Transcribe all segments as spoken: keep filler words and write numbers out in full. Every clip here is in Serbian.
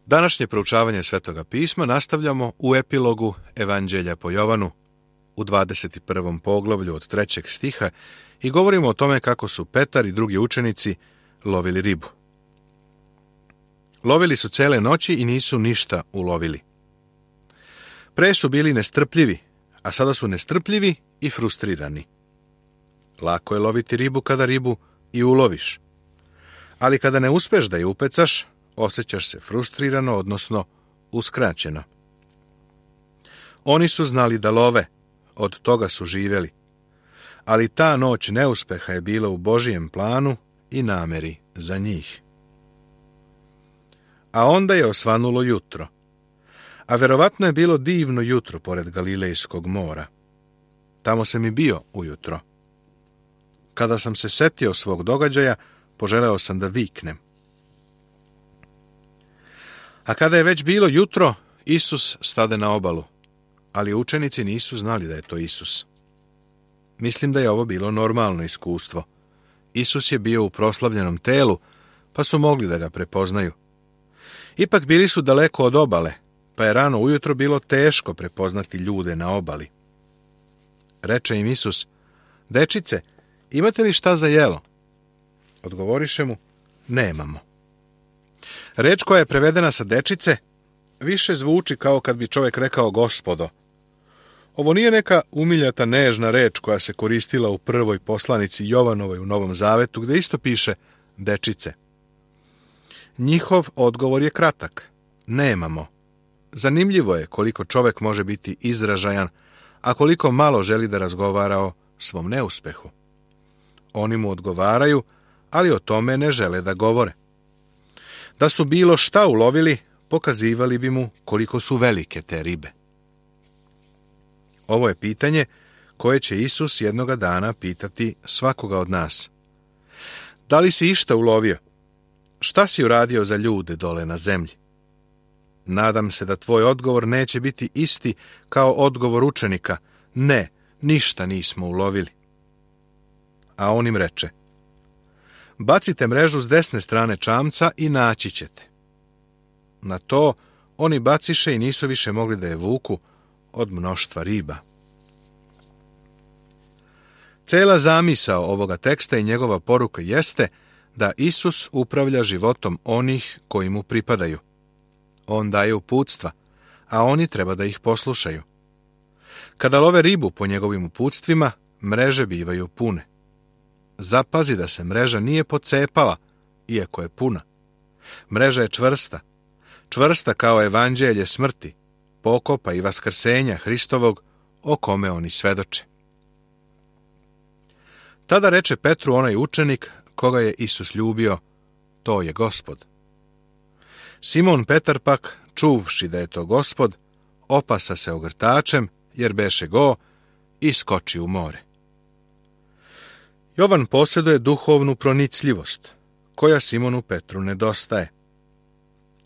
Današnje proučavanje Svetoga pisma nastavljamo u epilogu Evanđelja po Jovanu u dvadeset prvom poglavlju od trećeg stiha i govorimo o tome kako su Petar i drugi učenici lovili ribu. Lovili su cele noći i nisu ništa ulovili. Pre su bili nestrpljivi, a sada su nestrpljivi i frustrirani. Lako je loviti ribu kada ribu i uloviš. Ali kada ne uspeš da je upecaš, osjećaš se frustrirano, odnosno uskraćeno. Oni su znali da love, od toga su živeli. Ali ta noć neuspeha je bila u Božijem planu i nameri za njih. A onda je osvanulo jutro. A verovatno je bilo divno jutro pored Galilejskog mora. Tamo sam i bio ujutro. Kada sam se setio svog događaja, poželeo sam da viknem. A kada je već bilo jutro, Isus stade na obalu, ali učenici nisu znali da je to Isus. Mislim da je ovo bilo normalno iskustvo. Isus je bio u proslavljenom telu, pa su mogli da ga prepoznaju. Ipak bili su daleko od obale, pa je rano ujutro bilo teško prepoznati ljude na obali. Reče im Isus: "Dečice, imate li šta za jelo?" Odgovoriše mu: "Nemamo." Reč koja je prevedena sa dečice više zvuči kao kad bi čovjek rekao gospodo. Ovo nije neka umiljata nežna reč koja se koristila u prvoj poslanici Jovanovoj u Novom Zavetu, gdje isto piše dečice. Njihov odgovor je kratak: nemamo. Zanimljivo je koliko čovjek može biti izražajan, a koliko malo želi da razgovara o svom neuspehu. Oni mu odgovaraju, ali o tome ne žele da govore. Da su bilo šta ulovili, pokazivali bi mu koliko su velike te ribe. Ovo je pitanje koje će Isus jednoga dana pitati svakoga od nas. Da li si išta ulovio? Šta si uradio za ljude dole na zemlji? Nadam se da tvoj odgovor neće biti isti kao odgovor učenika: ne, ništa nismo ulovili. A on im reče: bacite mrežu s desne strane čamca i naći ćete. Na to oni baciše i nisu više mogli da je vuku od mnoštva riba. Cela zamisao ovoga teksta i njegova poruka jeste da Isus upravlja životom onih koji mu pripadaju. On daje uputstva, a oni treba da ih poslušaju. Kada love ribu po njegovim uputstvima, mreže bivaju pune. Zapazi da se mreža nije pocepala, iako je puna. Mreža je čvrsta, čvrsta kao evanđelje smrti, pokopa i vaskrsenja Hristovog, o kome oni svedoče. Tada reče Petru onaj učenik koga je Isus ljubio: to je Gospod. Simon Petar pak, čuvši da je to Gospod, opasa se ogrtačem, jer beše go, i skoči u more. Jovan posjeduje duhovnu pronicljivost, koja Simonu Petru nedostaje.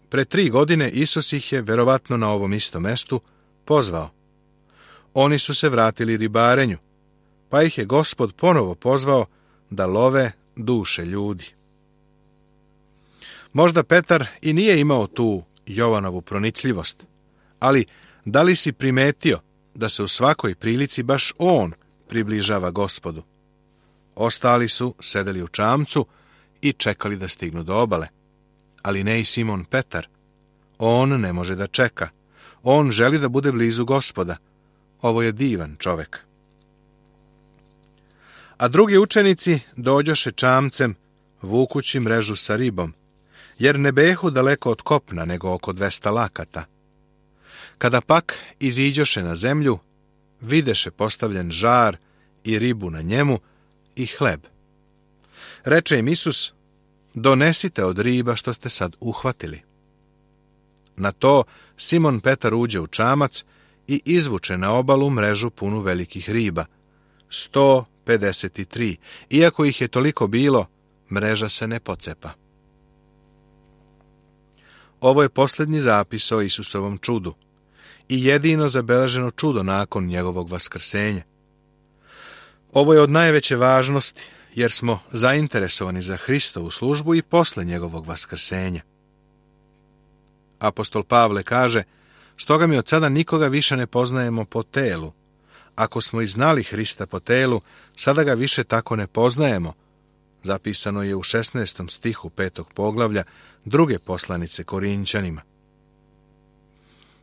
Pre tri godine Isus ih je, verovatno na ovom istom mestu, pozvao. Oni su se vratili ribarenju, pa ih je Gospod ponovo pozvao da love duše ljudi. Možda Petar i nije imao tu Jovanovu pronicljivost, ali da li si primetio da se u svakoj prilici baš on približava Gospodu? Ostali su sedeli u čamcu i čekali da stignu do obale, ali ne i Simon Petar. On ne može da čeka. On želi da bude blizu Gospoda. Ovo je divan čovek. A drugi učenici dođoše čamcem, vukući mrežu sa ribom, jer ne behu daleko od kopna, nego oko dvesta lakata. Kada pak iziđoše na zemlju, videše postavljen žar i ribu na njemu i hleb. Reče im Isus: donesite od riba što ste sad uhvatili. Na to Simon Petar uđe u čamac i izvuče na obalu mrežu punu velikih riba, sto pedeset tri. Iako ih je toliko bilo, mreža se ne pocepa. Ovo je posljednji zapis o Isusovom čudu i jedino zabeleženo čudo nakon njegovog vaskrsenja. Ovo je od najveće važnosti, jer smo zainteresovani za Hristovu službu i posle njegovog vaskrsenja. Apostol Pavle kaže: stoga mi od sada nikoga više ne poznajemo po telu. Ako smo i znali Hrista po telu, sada ga više tako ne poznajemo. Zapisano je u šesnaestom stihu petog poglavlja druge poslanice Korinćanima.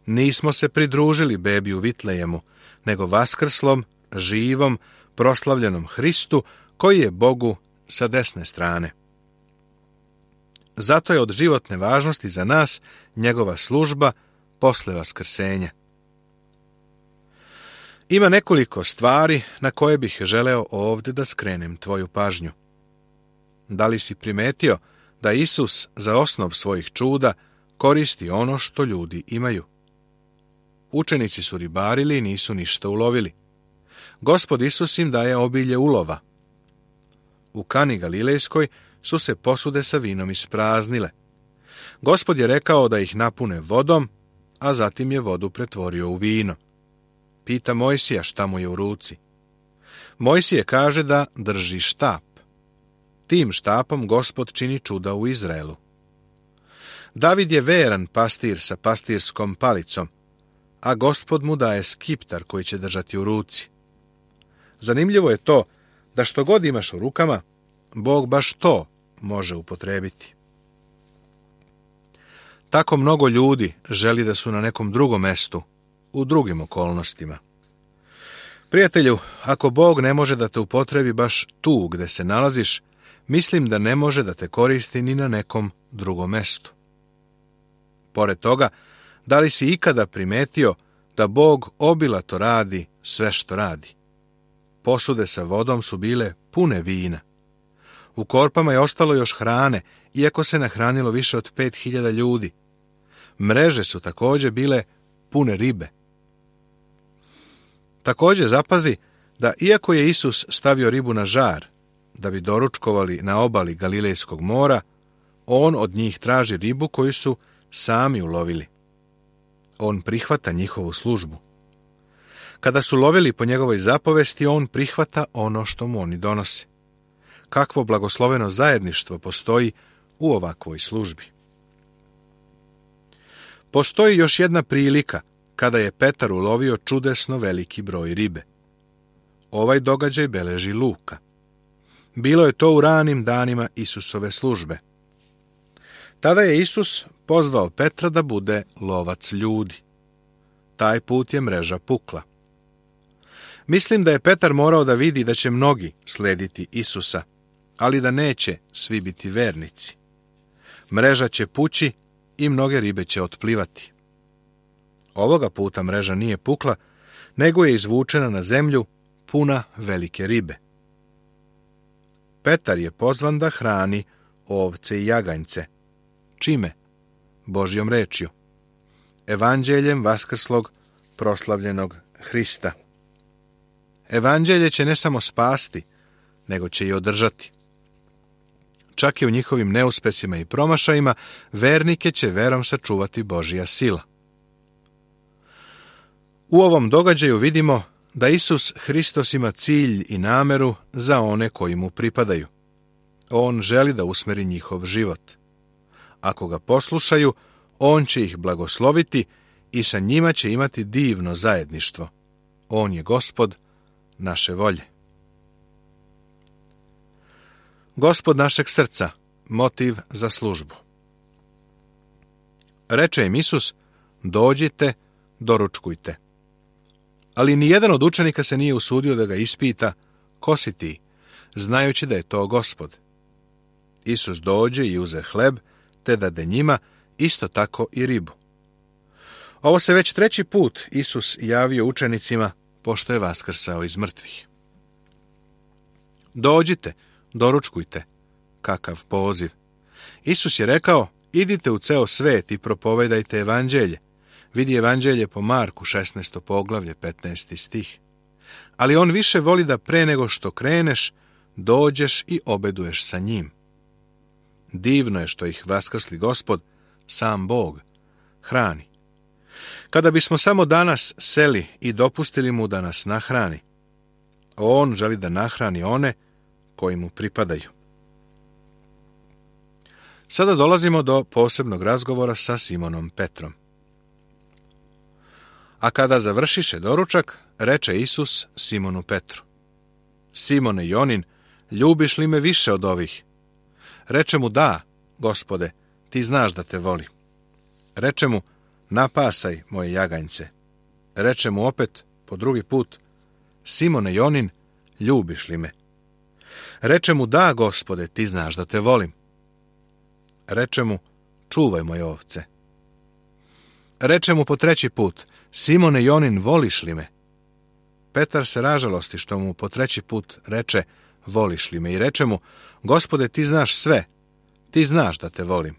Nismo se pridružili bebi u Vitlejemu, nego vaskrslom, živom, proslavljenom Hristu, koji je Bogu sa desne strane. Zato je od životne važnosti za nas njegova služba posle vaskrsenja. Ima nekoliko stvari na koje bih želeo ovdje da skrenem tvoju pažnju. Da li si primetio da Isus za osnov svojih čuda koristi ono što ljudi imaju? Učenici su ribarili i nisu ništa ulovili. Gospod Isus im daje obilje ulova. U Kani Galilejskoj su se posude sa vinom ispraznile. Gospod je rekao da ih napune vodom, a zatim je vodu pretvorio u vino. Pita Mojsija šta mu je u ruci. Mojsije kaže da drži štap. Tim štapom Gospod čini čuda u Izraelu. David je veran pastir sa pastirskom palicom, a Gospod mu daje skiptar koji će držati u ruci. Zanimljivo je to da što god imaš u rukama, Bog baš to može upotrebiti. Tako mnogo ljudi želi da su na nekom drugom mestu, u drugim okolnostima. Prijatelju, ako Bog ne može da te upotrebi baš tu gde se nalaziš, mislim da ne može da te koristi ni na nekom drugom mestu. Pored toga, da li si ikada primetio da Bog obilato radi sve što radi? Posude sa vodom su bile pune vina. U korpama je ostalo još hrane, iako se nahranilo više od pet hiljada ljudi. Mreže su također bile pune ribe. Također zapazi da iako je Isus stavio ribu na žar, da bi doručkovali na obali Galilejskog mora, on od njih traži ribu koju su sami ulovili. On prihvata njihovu službu. Kada su lovili po njegovoj zapovesti, on prihvata ono što mu oni donose. Kakvo blagosloveno zajedništvo postoji u ovakvoj službi. Postoji još jedna prilika kada je Petar ulovio čudesno veliki broj ribe. Ovaj događaj beleži Luka. Bilo je to u ranim danima Isusove službe. Tada je Isus pozvao Petra da bude lovac ljudi. Taj put je mreža pukla. Mislim da je Petar morao da vidi da će mnogi slediti Isusa, ali da neće svi biti vernici. Mreža će pući i mnoge ribe će otplivati. Ovoga puta mreža nije pukla, nego je izvučena na zemlju puna velike ribe. Petar je pozvan da hrani ovce i jaganjce. Čime? Božjom rečju. Evanđeljem vaskrslog proslavljenog Hrista. Evanđelje će ne samo spasti, nego će i održati. Čak i u njihovim neuspesima i promašajima, vernike će verom sačuvati Božja sila. U ovom događaju vidimo da Isus Hristos ima cilj i nameru za one koji mu pripadaju. On želi da usmeri njihov život. Ako ga poslušaju, on će ih blagosloviti i sa njima će imati divno zajedništvo. On je Gospod naše volje. Gospod našeg srca, motiv za službu. Reče im Isus: dođite, doručkujte. Ali nijedan od učenika se nije usudio da ga ispita: ko si ti, znajući da je to Gospod. Isus dođe i uze hleb, te dade njima, isto tako i ribu. Ovo se već treći put Isus javio učenicima, pošto je vaskrsao iz mrtvih. Dođite, doručkujte. Kakav poziv! Isus je rekao: idite u ceo svet i propovedajte evanđelje. Vidi evanđelje po Marku, šesnaesto poglavlje, petnaesti stih. Ali on više voli da pre nego što kreneš, dođeš i obeduješ sa njim. Divno je što ih vaskrsli Gospod, sam Bog, hrani. Kada bismo samo danas seli i dopustili mu da nas nahrani, on želi da nahrani one koji mu pripadaju. Sada dolazimo do posebnog razgovora sa Simonom Petrom. A kada završiše doručak, reče Isus Simonu Petru: Simone Jonin, ljubiš li me više od ovih? Reče mu: da, Gospode, ti znaš da te voli. Reče mu: napasaj moje jaganjce. Reče mu opet, po drugi put: Simone Jonin, ljubiš li me? Reče mu: da, Gospode, ti znaš da te volim. Reče mu: čuvaj moje ovce. Reče mu po treći put: Simone Jonin, voliš li me? Petar se ražalosti što mu po treći put reče: voliš li me? I reče mu: Gospode, ti znaš sve, ti znaš da te volim.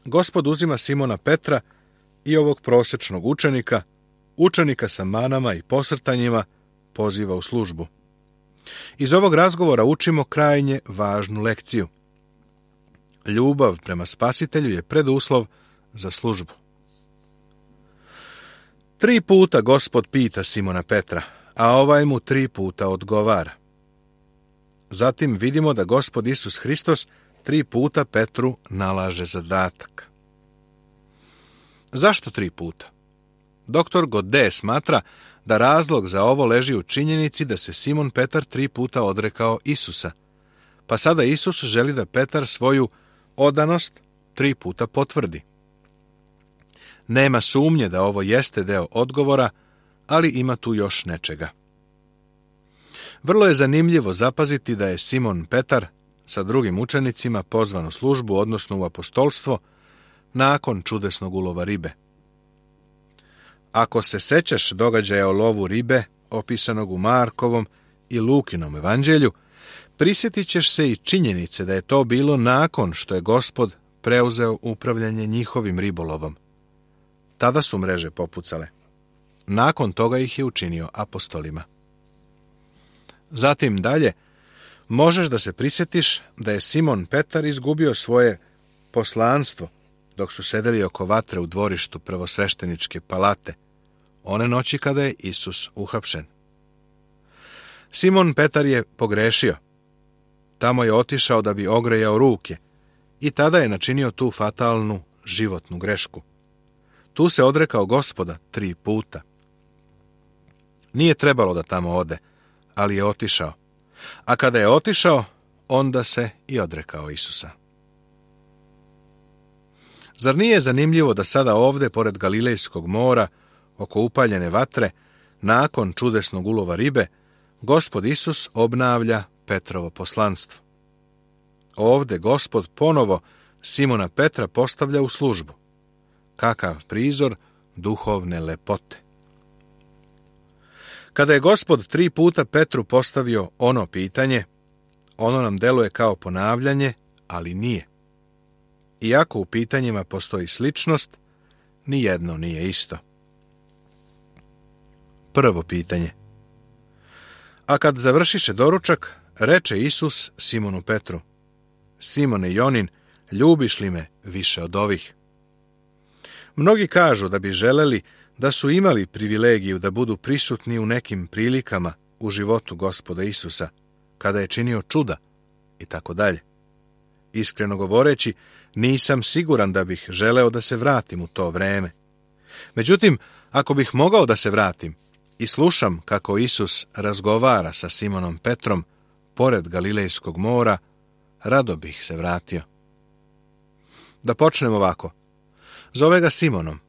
Gospod uzima Simona Petra i ovog prosječnog učenika, učenika sa manama i posrtanjima, poziva u službu. Iz ovog razgovora učimo krajnje važnu lekciju. Ljubav prema Spasitelju je preduslov za službu. Tri puta Gospod pita Simona Petra, a ovaj mu tri puta odgovara. Zatim vidimo da Gospod Isus Hristos tri puta Petru nalaže zadatak. Zašto tri puta? Doktor Gode smatra da razlog za ovo leži u činjenici da se Simon Petar tri puta odrekao Isusa, pa sada Isus želi da Petar svoju odanost tri puta potvrdi. Nema sumnje da ovo jeste deo odgovora, ali ima tu još nečega. Vrlo je zanimljivo zapaziti da je Simon Petar sa drugim učenicima pozvan u službu, odnosno u apostolstvo, nakon čudesnog ulova ribe. Ako se sećaš događaja o lovu ribe, opisanog u Markovom i Lukinom evanđelju, prisjetit ćeš se i činjenice da je to bilo nakon što je Gospod preuzeo upravljanje njihovim ribolovom. Tada su mreže popucale. Nakon toga ih je učinio apostolima. Zatim dalje, možeš da se prisjetiš da je Simon Petar izgubio svoje poslanstvo dok su sedeli oko vatre u dvorištu prvosvešteničke palate, one noći kada je Isus uhapšen. Simon Petar je pogrešio. Tamo je otišao da bi ogrejao ruke i tada je načinio tu fatalnu životnu grešku. Tu se odrekao Gospoda tri puta. Nije trebalo da tamo ode, ali je otišao. A kada je otišao, onda se i odrekao Isusa. Zar nije zanimljivo da sada ovde, pored Galilejskog mora, oko upaljene vatre, nakon čudesnog ulova ribe, Gospod Isus obnavlja Petrovo poslanstvo. Ovde Gospod ponovo Simona Petra postavlja u službu. Kakav prizor duhovne lepote. Kada je Gospod tri puta Petru postavio ono pitanje, ono nam deluje kao ponavljanje, ali nije. Iako u pitanjima postoji sličnost, nijedno nije isto. Prvo pitanje. A kad završiše doručak, reče Isus Simonu Petru: Simone Jonin, ljubiš li me više od ovih? Mnogi kažu da bi želeli da su imali privilegiju da budu prisutni u nekim prilikama u životu Gospoda Isusa, kada je činio čuda i tako dalje. Iskreno govoreći, nisam siguran da bih želeo da se vratim u to vreme. Međutim, ako bih mogao da se vratim i slušam kako Isus razgovara sa Simonom Petrom pored Galilejskog mora, rado bih se vratio. Da počnem ovako. Zove ga Simonom.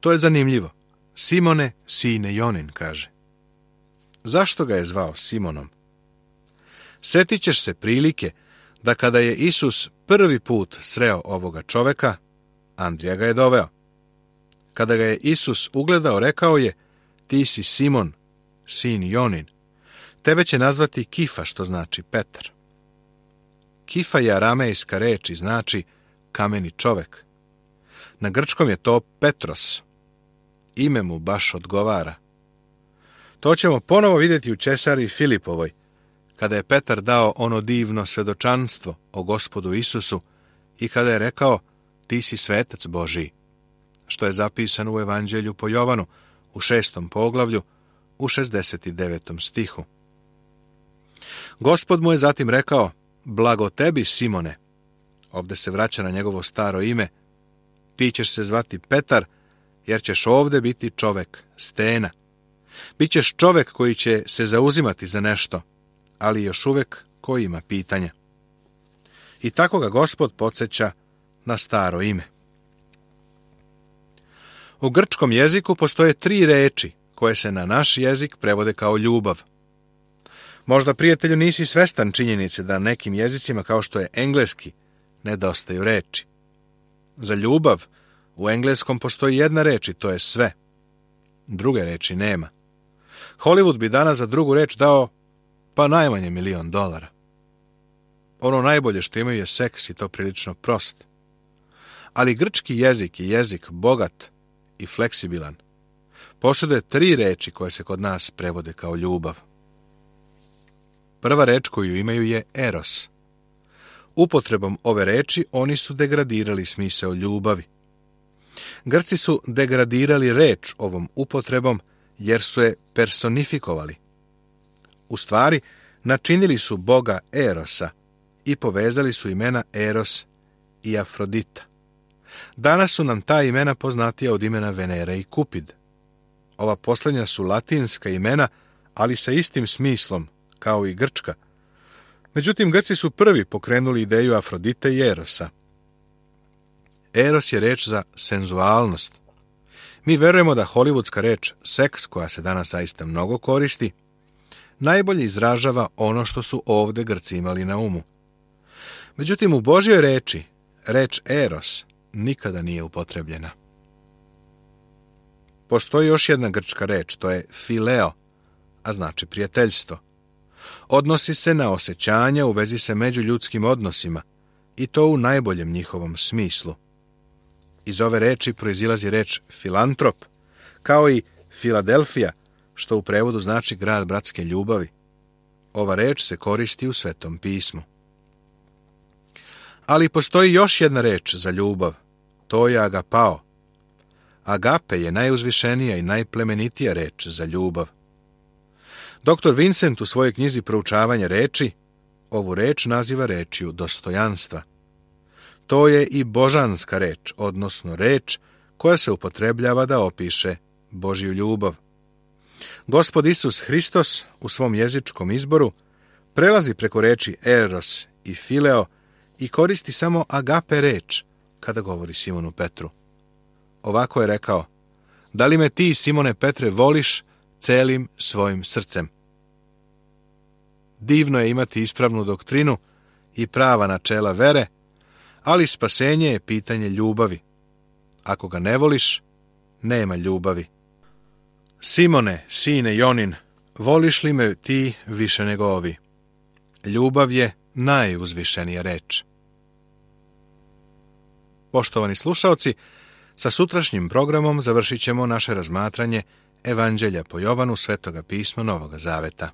To je zanimljivo. Simone, sine Jonin, kaže. Zašto ga je zvao Simonom? Setit ćeš se prilike da kada je Isus prvi put sreo ovoga čoveka, Andrija ga je doveo. Kada ga je Isus ugledao, rekao je: ti si Simon, sin Jonin. Tebe će nazvati Kifa, što znači Petar. Kifa je aramejska reč i znači kameni čovek. Na grčkom je to Petros. Ime mu baš odgovara. To ćemo ponovo vidjeti u Cesari Filipovoj, kada je Petar dao ono divno svedočanstvo o Gospodu Isusu i kada je rekao: ti si svetac Božiji, što je zapisano u Evanđelju po Jovanu u šestom poglavlju u šezdeset devetom stihu. Gospod mu je zatim rekao: blago tebi, Simone. Ovde se vraća na njegovo staro ime. Ti ćeš se zvati Petar, jer ćeš ovde biti čovek, stena. Bićeš čovek koji će se zauzimati za nešto, ali još uvek koji ima pitanja. I tako ga Gospod podsjeća na staro ime. U grčkom jeziku postoje tri reči koje se na naš jezik prevode kao ljubav. Možda, prijatelju, nisi svestan činjenice da nekim jezicima, kao što je engleski, nedostaju reči. Za ljubav u engleskom postoji jedna reč i to je sve. Druge reči nema. Hollywood bi danas za drugu reč dao pa najmanje milion dolara. Ono najbolje što imaju je seks i to prilično prost. Ali grčki jezik je jezik bogat i fleksibilan. Posjeduje tri reči koje se kod nas prevode kao ljubav. Prva reč koju imaju je eros. Upotrebom ove reči oni su degradirali smisao ljubavi. Grci su degradirali reč ovom upotrebom jer su je personifikovali. U stvari, načinili su boga Erosa i povezali su imena Eros i Afrodita. Danas su nam ta imena poznatija od imena Venera i Kupid. Ova posljednja su latinska imena, ali sa istim smislom, kao i grčka. Međutim, Grci su prvi pokrenuli ideju Afrodite i Erosa. Eros je reč za senzualnost. Mi verujemo da hollywoodska reč seks, koja se danas zaista mnogo koristi, najbolje izražava ono što su ovde Grci imali na umu. Međutim, u Božjoj reči, reč eros nikada nije upotrebljena. Postoji još jedna grčka reč, to je fileo, a znači prijateljstvo. Odnosi se na osjećanja u vezi sa međuljudskim odnosima, i to u najboljem njihovom smislu. Iz ove reči proizilazi reč filantrop, kao i Filadelfija, što u prevodu znači grad bratske ljubavi. Ova reč se koristi u Svetom pismu. Ali postoji još jedna reč za ljubav, to je agapao. Agape je najuzvišenija i najplemenitija reč za ljubav. doktor Vincent u svojoj knjizi Proučavanje reči ovu reč naziva rečju dostojanstva. To je i božanska reč, odnosno reč koja se upotrebljava da opiše Božju ljubav. Gospod Isus Hristos u svom jezičkom izboru prelazi preko reči eros i fileo i koristi samo agape reč kada govori Simonu Petru. Ovako je rekao: da li me ti, Simone Petre, voliš celim svojim srcem? Divno je imati ispravnu doktrinu i prava načela vere, ali spasenje je pitanje ljubavi. Ako ga ne voliš, nema ljubavi. Simone, sine Jonin, voliš li me ti više nego ovi? Ljubav je najuzvišenija reč. Poštovani slušaoci, sa sutrašnjim programom završit ćemo naše razmatranje Evanđelja po Jovanu, Svetoga pisma Novoga Zaveta.